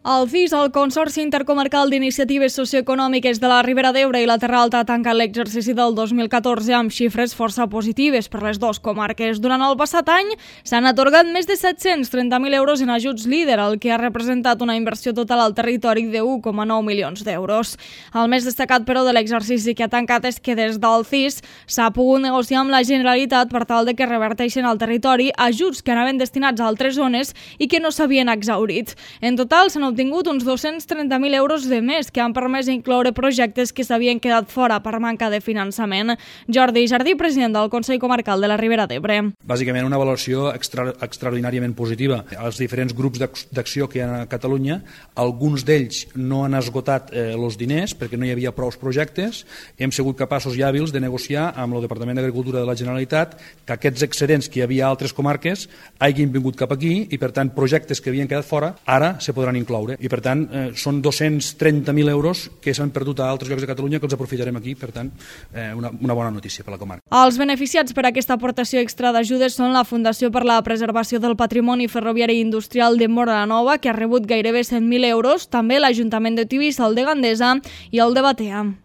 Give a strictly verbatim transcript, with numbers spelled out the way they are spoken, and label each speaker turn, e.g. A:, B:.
A: El C I S, el Consorci Intercomarcal d'Iniciatives Socioeconòmiques de la Ribera d'Ebre i la Terra Alta, tanca l'exercici del dos mil catorze amb xifres força positives per les dues comarques. Durant el passat any s'han atorgat més de set-cents trenta mil euros en ajuts líder, el que ha representat una inversió total al territori de u coma nou milions d'euros. El més destacat, però, de l'exercici que ha tancat és que des del C I S s'ha pogut negociar amb la Generalitat per tal de que reverteixen al territori ajuts que anaven destinats a altres zones i que no s'havien exhaurit. En total s'han obtingut uns dos-cents trenta mil euros de més que han permès incloure projectes que s'havien quedat fora per manca de finançament. Jordi Jardí, president del Consell Comarcal de la Ribera d'Ebre.
B: Bàsicament una valoració extra, extraordinàriament positiva. Els diferents grups d'acció que hi ha a Catalunya, alguns d'ells no han esgotat eh, els diners perquè no hi havia prou projectes. Hem sigut capaços i hàbils de negociar amb el Departament d'Agricultura de la Generalitat que aquests excedents que hi havia a altres comarques hagin vingut cap aquí i, per tant, projectes que havien quedat fora ara se podran incloure. I, per tant, eh, són dos-cents trenta mil euros que s'han perdut a altres llocs de Catalunya que els aprofitarem aquí, per tant, eh, una, una bona notícia per la comarca.
A: Els beneficiats per aquesta aportació extra d'ajudes són la Fundació per la Preservació del Patrimoni Ferroviari i Industrial de Móra la Nova, que ha rebut gairebé cent mil euros, també l'Ajuntament de Tivissa, el de Gandesa i el de Batea.